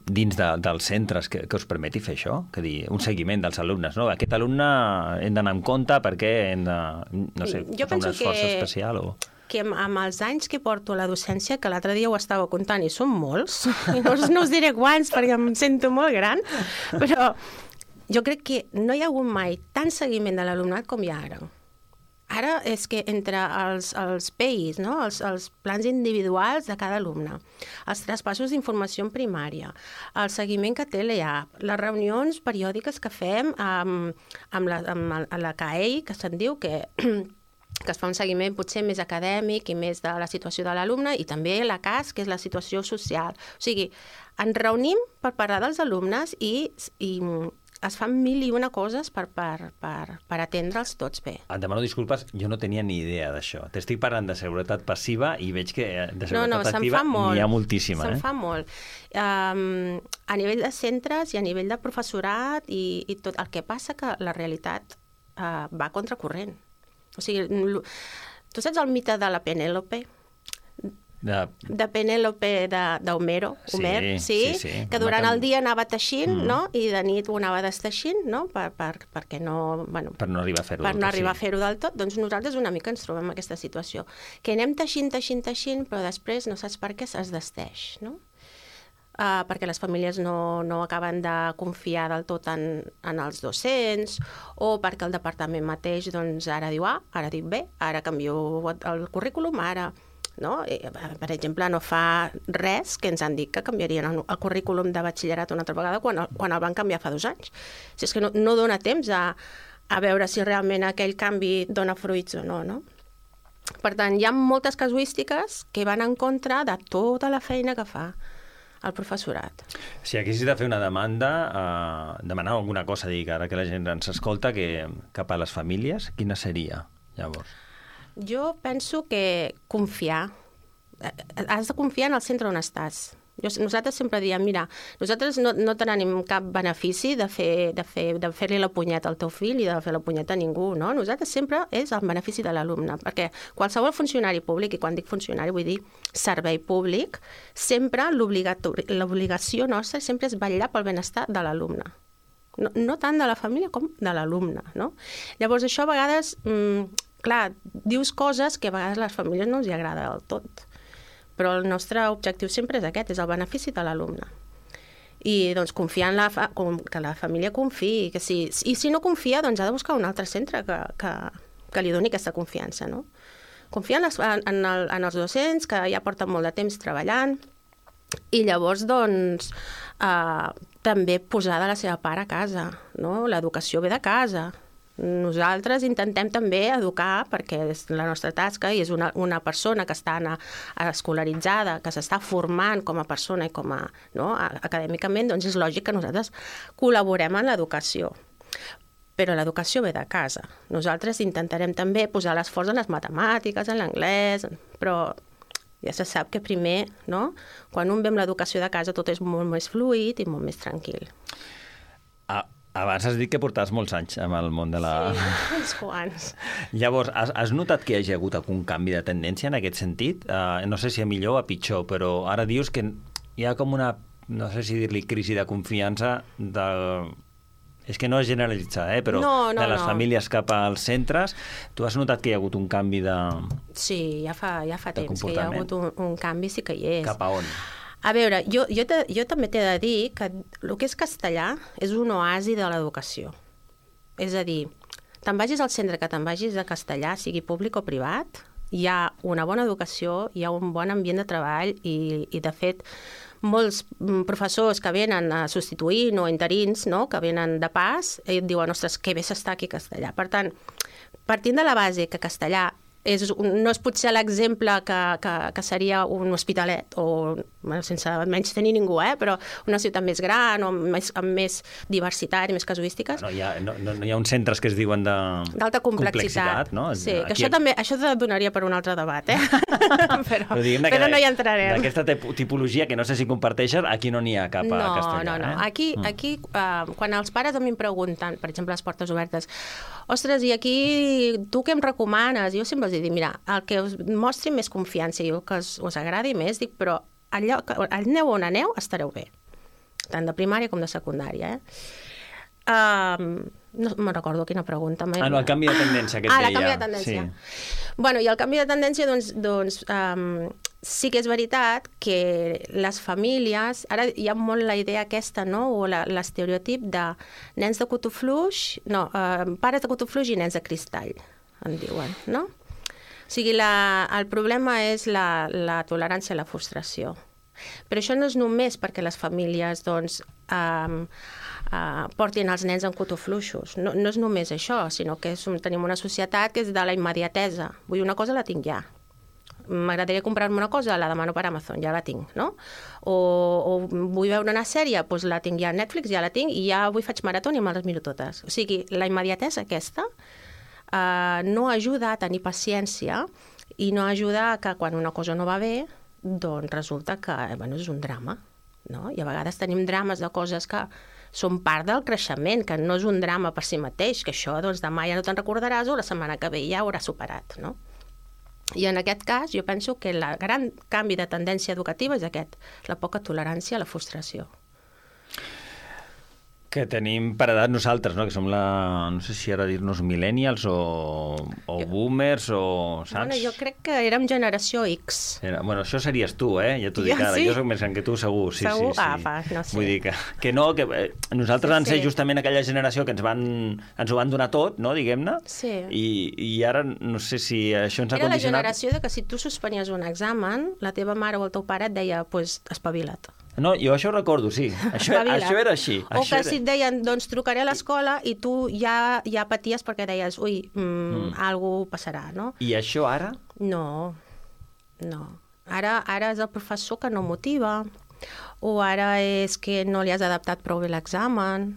dins dels centres que us permeti fer això? Que dir, un seguiment dels alumnes, no? Aquest alumne hem d'anar en compte perquè hem de, no sé, fer un esforç especial o... que amb els anys que porto a la docència, que l'altre dia ho estava comptant i són molts, no us diré quants perquè em sento molt gran, però jo crec que no hi ha hagut mai tant seguiment de l'alumnat com hi ha ara. Ara és que entre els PEIs, no? els plans individuals de cada alumne, els traspassos d'informació en primària, el seguiment que té l'EAP, les reunions periòdiques que fem amb la CAEI, que se'n diu, que que es fa un seguiment potser més acadèmic i més de la situació de l'alumne, i també la CAS, que és la situació social. O sigui, ens reunim per parlar dels alumnes i es fan 1001 coses per atendre'ls tots bé. Et demano disculpes, jo no tenia ni idea d'això. T'estic parlant de seguretat passiva i veig que de seguretat activa n'hi ha moltíssima. Se'n fa molt. A nivell de centres i a nivell de professorat i tot. El que passa que la realitat va a contracorrent. O sigui, tu saps el mite de la Penèlope? De Penèlope d'Homero, sí, que durant el dia anava teixint, no? I de nit ho anava desteixint, no? Perquè no... Per no arribar a fer-ho per no arribar a fer-ho del tot. Doncs nosaltres una mica ens trobem en aquesta situació, que anem teixint, però després no saps per què es desteix, no? Perquè les famílies no acaben de confiar del tot en els docents, o perquè el departament mateix doncs, ara diu A, ara diu B, ara canvio el currículum, ara... No? Per exemple, no fa res que ens han dit que canviarien el currículum de batxillerat una altra vegada quan el van canviar fa 2 anys. Si és que no dona temps a veure si realment aquell canvi dona fruits o no, no? Per tant, hi ha moltes casuístiques que van en contra de tota la feina que fa el professorat. Si haguessis de fer una demanda, demanar alguna cosa, dir que ara que la gent ens escolta, que cap a les famílies, quina seria, llavors? Jo penso que confiar. Has de confiar en el centre on estàs. Nosaltres sempre diem, mira, nosaltres no tenim cap benefici de fer-li la punyeta al teu fill i de fer la punyeta a ningú, no? Nosaltres sempre és el benefici de l'alumne, perquè qualsevol funcionari públic, i quan dic funcionari vull dir servei públic, sempre l'obligació nostra sempre és vetllar pel benestar de l'alumne. No tant de la família com de l'alumne, no? Llavors això a vegades... Clar, dius coses que a vegades a les famílies no els hi agrada del tot, però el nostre objectiu sempre és aquest, és el benefici de l'alumne. I doncs confiar en que la família confiï, i si no confia, doncs ha de buscar un altre centre que li doni aquesta confiança, no? Confiar en els docents, que ja porten molt de temps treballant, i llavors, doncs, també posar de la seva part a casa, no? L'educació ve de casa. Nosaltres intentem també educar, perquè és la nostra tasca i és una persona que està escolaritzada, que s'està formant com a persona i com a acadèmicament, doncs és lògic que nosaltres col·laborem en l'educació. Però l'educació ve de casa. Nosaltres intentarem també posar l'esforç en les matemàtiques, en l'anglès, però ja se sap que primer, no? Quan un ve amb l'educació de casa tot és molt més fluid i molt més tranquil. Abans has dit que portaves molts anys amb el món de la... Sí, uns quants. Llavors, has notat que hi hagi hagut algun canvi de tendència en aquest sentit? No sé si a millor o a pitjor, però ara dius que hi ha com una, no sé si dir-li crisi de confiança És que no és generalitzar, però de les famílies cap als centres. Tu has notat que hi ha hagut un canvi de... Sí, ja fa temps que hi ha hagut un canvi, sí que hi és. Cap a on? A veure, jo també t'he de dir que el que és castellà és un oasi de l'educació. És a dir, te'n vagis al centre que te'n vagis de castellà, sigui públic o privat, hi ha una bona educació, hi ha un bon ambient de treball i de fet, molts professors que venen a substituir o interins, no?, que venen de pas, et diuen, ostres, que bé s'està aquí a castellà. Per tant, partint de la base que castellà no és potser l'exemple que seria un hospitalet, o sense menys tenir ningú, però una ciutat més gran o amb més diversitat i més casuístiques. No hi ha uns centres que es diuen d'alta complexitat, no? Sí, que això donaria per un altre debat, però no hi entrarem. D'aquesta tipologia, que no sé si comparteixes, aquí no n'hi ha cap a castellà. No. Aquí, quan els pares a mi em pregunten, per exemple, les portes obertes, ostres, i aquí tu què em recomanes? Jo sempre els dic, mira, el que us mostri més confiança i el que us agradi més, dic, però aneu on aneu, estareu bé. Tant de primària com de secundària, No me'n recordo quina pregunta. El canvi de tendència que et deia. El canvi de tendència. Bueno, i el canvi de tendència, doncs sí que és veritat que les famílies... Ara hi ha molt la idea aquesta, no?, o l'estereotip de nens de cotó fluix... No, pares de cotó fluix i nens de cristall, en diuen, no? O sigui, el problema és la tolerància a la frustració. Però això no és només perquè les famílies, doncs, portin els nens en cotofluixos. No és només això, sinó que tenim una societat que és de la immediatesa. Vull dir, una cosa la tinc ja. M'agradaria comprar-me una cosa, la demano per Amazon, ja la tinc, no? O vull veure una sèrie, doncs la tinc ja a Netflix, ja la tinc, i ja avui faig marató i me les miro totes. O sigui, la immediatesa aquesta no ajuda a tenir paciència i no ajuda que quan una cosa no va bé, doncs resulta que és un drama, no? I a vegades tenim drames de coses que són part del creixement, que no és un drama per si mateix, que això doncs, demà ja no te'n recordaràs o la setmana que ve ja ho hauràs superat, no? I en aquest cas jo penso que el gran canvi de tendència educativa és aquest, la poca tolerància a la frustració. Que tenim per edat nosaltres, no? Que som no sé si ara dir-nos millennials o boomers o... Saps? Bueno, jo crec que érem generació X. Bueno, això series tu, ja t'ho dic ara. Sí? Jo soc més gran que tu, segur. Sí, segur? Sí. No sé. Vull dir que no, que nosaltres vam ser justament aquella generació que ens ho van donar tot, no, diguem-ne, sí. I ara no sé si això ens ha condicionat... Era la generació de que si tu suspenies un examen, la teva mare o el teu pare et deia, doncs, espavila't. No, jo això ho recordo, sí. Això era així. O que si et deien, doncs trucaré a l'escola i tu ja paties perquè deies, ui, algú passarà, no? I això ara? No. Ara és el professor que no motiva, o ara és que no li has adaptat prou bé l'examen,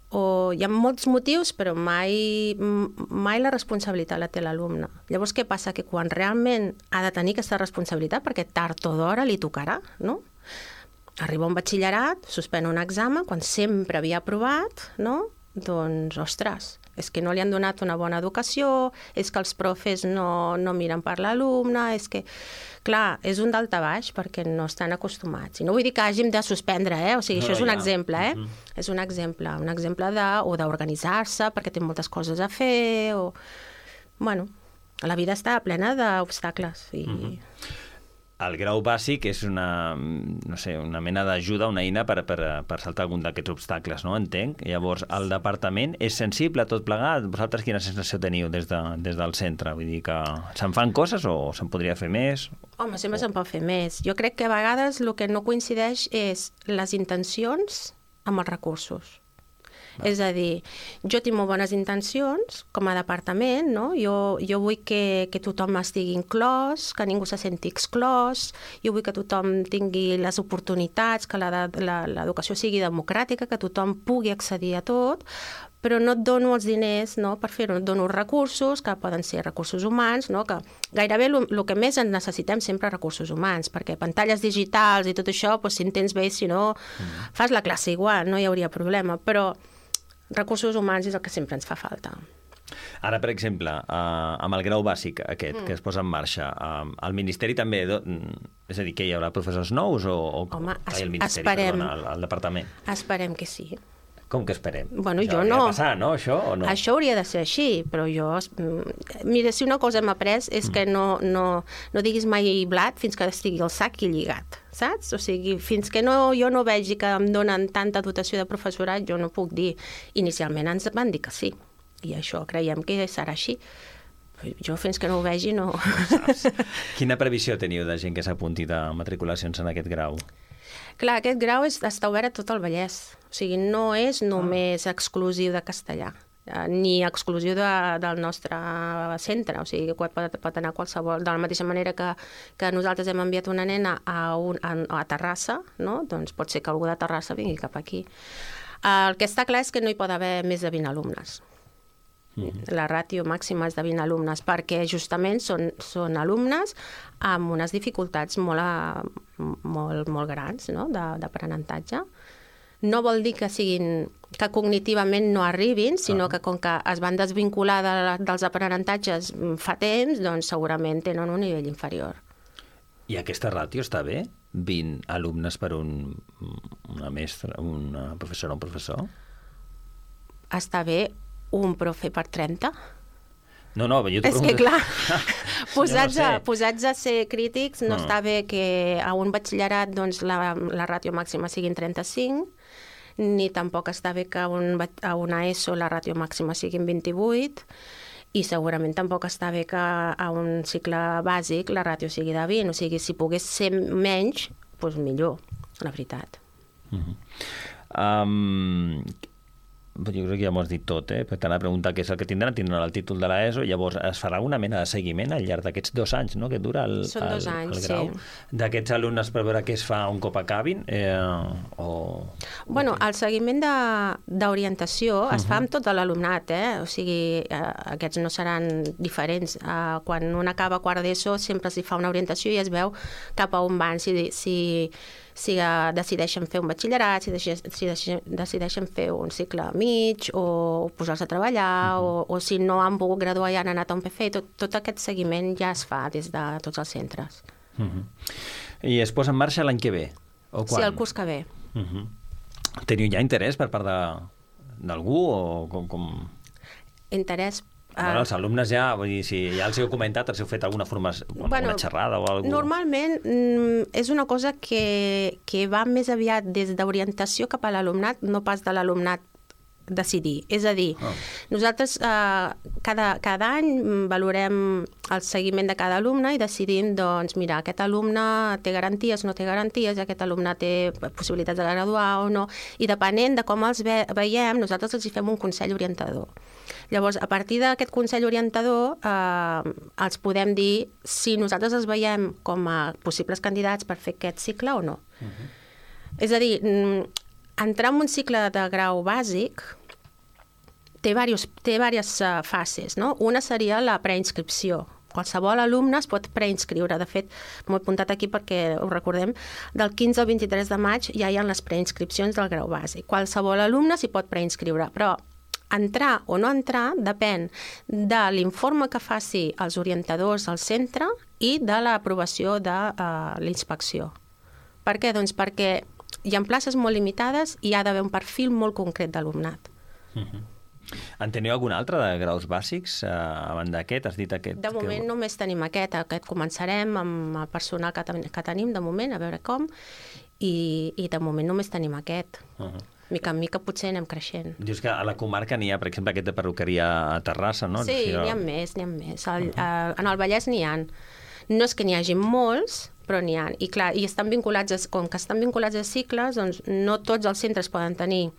o hi ha molts motius, però mai la responsabilitat la té l'alumne. Llavors, què passa? Que quan realment ha de tenir aquesta responsabilitat, perquè tard o d'hora li tocarà, no? Arriba un batxillerat, suspèn un examen, quan sempre havia aprovat, no? Doncs, ostres, és que no li han donat una bona educació, és que els profes no miren per l'alumne, és que... Clar, és un daltabaix perquè no estan acostumats. I no vull dir que hàgim de suspendre, O sigui, això és un exemple, És un exemple d'organitzar-se perquè té moltes coses a fer, o... Bueno, la vida està plena d'obstacles i... El grau bàsic és una mena d'ajuda, una eina per saltar algun d'aquests obstacles, no? Entenc. Llavors, el departament és sensible a tot plegat? Vosaltres quina sensació teniu des del centre? Vull dir que se'n fan coses o se'n podria fer més? Home, sempre se'n pot fer més. Jo crec que a vegades el que no coincideix és les intencions amb els recursos. És a dir, jo tinc molt bones intencions com a departament, no? Jo vull que tothom estigui inclòs, que ningú se senti exclòs, jo vull que tothom tingui les oportunitats, que l'educació sigui democràtica, que tothom pugui accedir a tot, però no et dono els diners, no, per fer-ho, et dono recursos, que poden ser recursos humans, no, que gairebé el que més en necessitem sempre recursos humans, perquè pantalles digitals i tot això, doncs, si en tens bé, si no, fas la classe igual, no hi hauria problema, però recursos humans és el que sempre ens fa falta. Ara, per exemple, amb el grau bàsic aquest que es posa en marxa, el Ministeri també... És a dir, que hi haurà professors nous o... Home, el Ministeri, esperem. Perdona, el departament. Esperem que sí. Com que esperem? Bueno, això jo no. Hauria de passar, no, això, o no? Això hauria de ser així, però jo... Mira, si una cosa hem après és que no diguis mai blat fins que estigui el sac i lligat, saps? O sigui, fins que jo no vegi que em donen tanta dotació de professorat, jo no puc dir. Inicialment ens van dir que sí, i això creiem que serà així. Jo fins que no ho vegi no... Quina previsió teniu de gent que s'apunti de matriculacions en aquest grau? Clar, aquest grau està obert a tot el Vallès. O sigui, no és només exclusiu de castellà, ni exclusiu del nostre centre. O sigui, pot anar qualsevol. De la mateixa manera que nosaltres hem enviat una nena a Terrassa, no? Doncs pot ser que algú de Terrassa vingui cap aquí. El que està clar és que no hi pot haver més de 20 alumnes. La ràtio màxima és de 20 alumnes, perquè justament són alumnes amb unes dificultats molt grans, no? D'aprenentatge. No vol dir que cognitivament no arribin, sinó que com que es van desvincular dels aprenentatges fa temps, doncs segurament tenen un nivell inferior. I aquesta ràtio està bé? 20 alumnes per una mestra, una professora o un professor? Està bé un profe per 30? No, jo t'ho pregunto. És que, clar, posats a ser crítics, no està bé que a un batxillerat doncs, la ràtio màxima siguin 35, ni tampoc està bé que a una ESO la ràtio màxima siguin 28, i segurament tampoc està bé que a un cicle bàsic la ràtio sigui de 20. O sigui, si pogués ser menys, doncs millor, la veritat. Jo crec que ja m'ho has dit tot, perquè t'anava a preguntar què és el que tindran el títol de l'ESO, llavors es farà una mena de seguiment al llarg d'aquests 2 anys, no?, que dura el grau, d'aquests alumnes per veure què es fa un cop acabin, Bueno, el seguiment d'orientació es fa amb tot l'alumnat, o sigui, aquests no seran diferents. Quan un acaba quart d'ESO sempre s'hi fa una orientació i es veu cap a on van, si decideixen fer un batxillerat, si decideixen fer un cicle mig o posar-se a treballar o si no han pogut graduar i han anat a un PF, tot aquest seguiment ja es fa des de tots els centres. I es posa en marxa l'any que ve? O quan? Sí, el curs que ve. Teniu ja interès per part d'algú o com? Interès? Els alumnes ja, vull dir, si ja els heu comentat, els heu fet alguna formació, alguna xerrada o alguna cosa? Normalment és una cosa que va més aviat des d'orientació cap a l'alumnat, no pas de l'alumnat decidir. És a dir, nosaltres cada any valorem el seguiment de cada alumne i decidim, doncs, mira, aquest alumne té garanties, no té garanties, aquest alumne té possibilitats de graduar o no, i depenent de com els veiem, nosaltres els hi fem un consell orientador. Llavors, a partir d'aquest consell orientador, els podem dir si nosaltres els veiem com a possibles candidats per fer aquest cicle o no. És a dir, entrar en un cicle de grau bàsic té diverses fases, no? Una seria la preinscripció. Qualsevol alumne es pot preinscriure. De fet, m'ho he apuntat aquí perquè ho recordem, del 15 al 23 de maig ja hi ha les preinscripcions del grau bàsic. Qualsevol alumne s'hi pot preinscriure, però entrar o no entrar depèn de l'informe que faci els orientadors al centre i de l'aprovació de l'inspecció. Per què? Doncs perquè hi ha places molt limitades i hi ha d'haver un perfil molt concret d'alumnat. En teniu algun altre de graus bàsics a banda d'aquest? Has dit aquest? De moment només tenim aquest començarem amb el personal que tenim de moment, a veure com, i de moment només tenim aquest. Mica en mica potser anem creixent. Dius que a la comarca n'hi ha, per exemple, aquest de perruqueria a Terrassa, no? Sí, n'hi ha més. En el Vallès n'hi ha. No és que n'hi hagi molts, però n'hi ha. I clar, com que estan vinculats a cicles, doncs no tots els centres poden tenir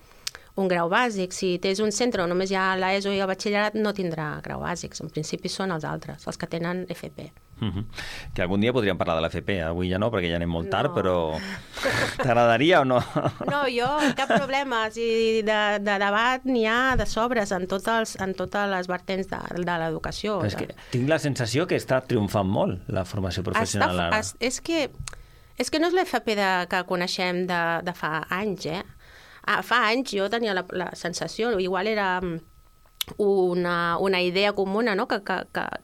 un grau bàsic. Si tens un centre on només hi ha l'ESO i el batxillerat, no tindrà grau bàsics. En principi són els altres, els que tenen FP. Que algun dia podríem parlar de l'FP. Avui ja no, perquè ja anem molt tard, però t'agradaria o no? No, jo, cap problema. De debat n'hi ha de sobres en totes les vertents de l'educació. És que tinc la sensació que està triomfant molt la formació professional ara. És que no és l'FP que coneixem de fa anys, Fa anys jo tenia la sensació, igual era una idea comuna, no? que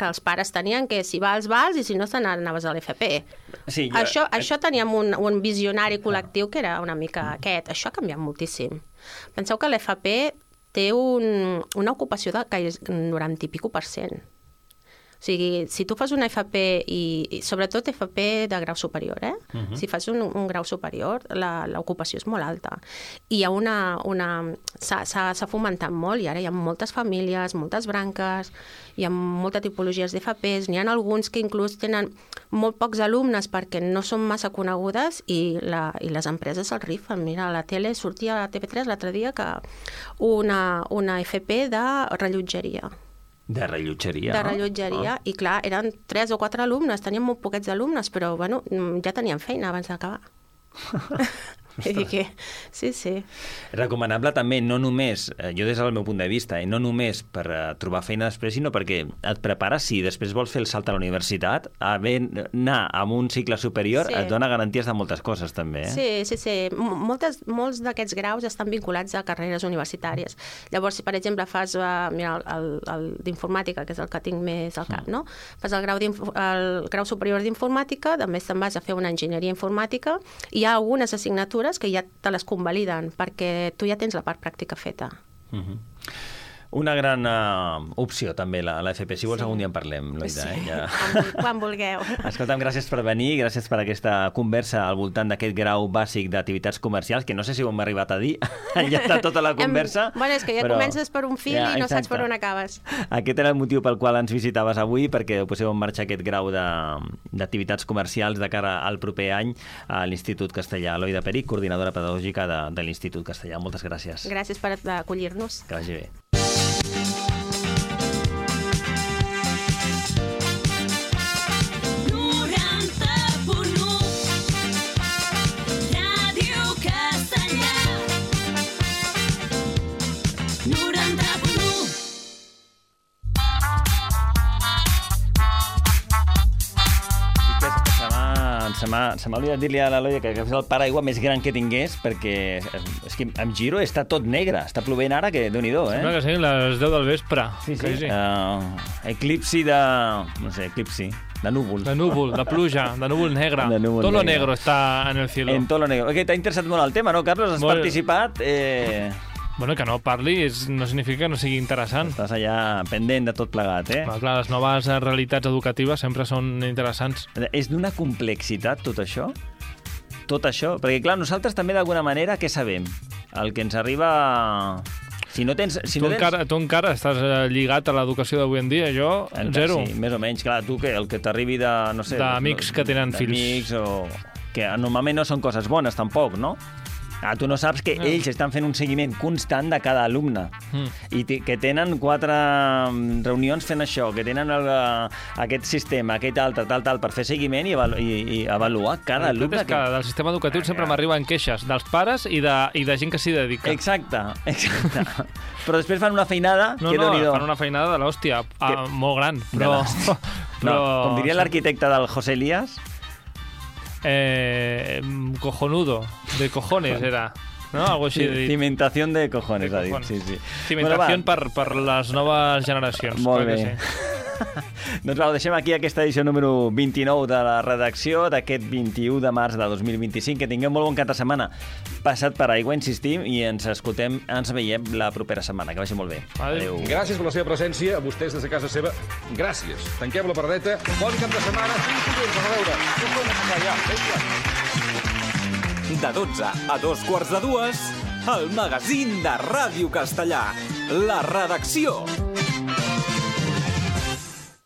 els pares tenien, que si vals i si no anaves a l'FP. Sí, això teníem un visionari col·lectiu que era una mica aquest. Això ha canviat moltíssim. Penseu que l'FP té una ocupació de gairebé 90%. O sigui, si tu fas una FP i sobretot FP de grau superior, si fas un grau superior, l'ocupació és molt alta. I hi ha s'ha fomentat molt i ara hi ha moltes famílies, moltes branques, hi ha moltes tipologies d'FPs, n'hi ha alguns que inclús tenen molt pocs alumnes perquè no són massa conegudes i les empreses el rifen. Mira, a la tele sortia a TV3 l'altre dia que una FP de rellotgeria. De rellotgeria, de rellotgeria, i clar, eren 3 o 4 alumnes, tenien molt poquets alumnes, però bueno, ja tenien feina abans d'acabar. Sí. Recomanable també, no només, jo des del meu punt de vista, no només per trobar feina després, sinó perquè et prepares, si després vols fer el salt a la universitat, anar a un cicle superior et dona garanties de moltes coses també. Sí. Molts d'aquests graus estan vinculats a carreres universitàries. Llavors, si per exemple fas el d'informàtica, que és el que tinc més al cap, no? Fas el grau superior d'informàtica, també te'n vas a fer una enginyeria informàtica, i hi ha algunes assignatures que ja te les convaliden, perquè tu ja tens la part pràctica feta. Una gran opció, també, la FP. Si vols, algun dia en parlem, Loida. Sí. Ja. Quan vulgueu. Escolta'm, gràcies per venir, gràcies per aquesta conversa al voltant d'aquest grau bàsic d'activitats comercials, que no sé si ho hem arribat a dir al llarg de tota la conversa. Bueno, és que ja comences per un fil i no saps per on acabes. Aquest era el motiu pel qual ens visitaves avui, perquè poseu en marxa aquest grau d'activitats comercials de cara al proper any a l'Institut Castellà. Loida Peric, coordinadora pedagògica de l'Institut Castellà. Moltes gràcies. Gràcies per acollir-nos. Que vagi bé. Se m'ha oblidat dir-li a la Loida que és el paraigua més gran que tingués, perquè és que em giro i està tot negre. Està plovent ara, que déu-n'hi-do, Sembla que siguin les 10 del vespre. Sí. Eclipsi de... no sé, de núvol. De núvol, de pluja, de núvol negre. Tot lo negro està en el cielo. En tot lo negro. T'ha interessat molt el tema, no, Carlos? Has participat... Bueno, que no parli no significa que no sigui interessant. Estàs allà pendent de tot plegat, Clar, les noves realitats educatives sempre són interessants. És d'una complexitat, tot això? Tot això? Perquè, clar, nosaltres també, d'alguna manera, què sabem? El que ens arriba... Si no tens... Tu encara estàs lligat a l'educació d'avui en dia, jo, zero. Sí, més o menys. Clar, tu el que t'arribi de... no sé, d'amics que tenen fills. D'amics o... que normalment no són coses bones, tampoc, no? Tu no saps que ells estan fent un seguiment constant de cada alumne i que tenen 4 reunions fent això, que tenen aquest sistema, aquest altre, tal, per fer seguiment i avaluar cada alumne. És que del sistema educatiu sempre m'arriben queixes dels pares i de gent que s'hi dedica. Exacte. Però després fan una feinada que déu-n'hi-do. Fan una feinada de l'hòstia, molt gran, però... Com diria l'arquitecte del José Elías... cojonudo, de cojones era, no? Algo així. Cimentación de cojones, ha dit. Sí. Cimentación per les noves generacions. Molt bé. Doncs ho deixem aquí aquesta edició número 29 de la redacció d'aquest 21 de març de 2025. Que tingueu molt bon cap de setmana passat per aigua, insistim, i ens veiem la propera setmana. Que vagi molt bé. Adéu. Gràcies per la seva presència, a vostès des de casa seva. Gràcies. Tanquem la paradeta. Bon cap de setmana. Fins dilluns. A veure. De 12 a 2:15, el magazín de Ràdio Castellà. La redacció.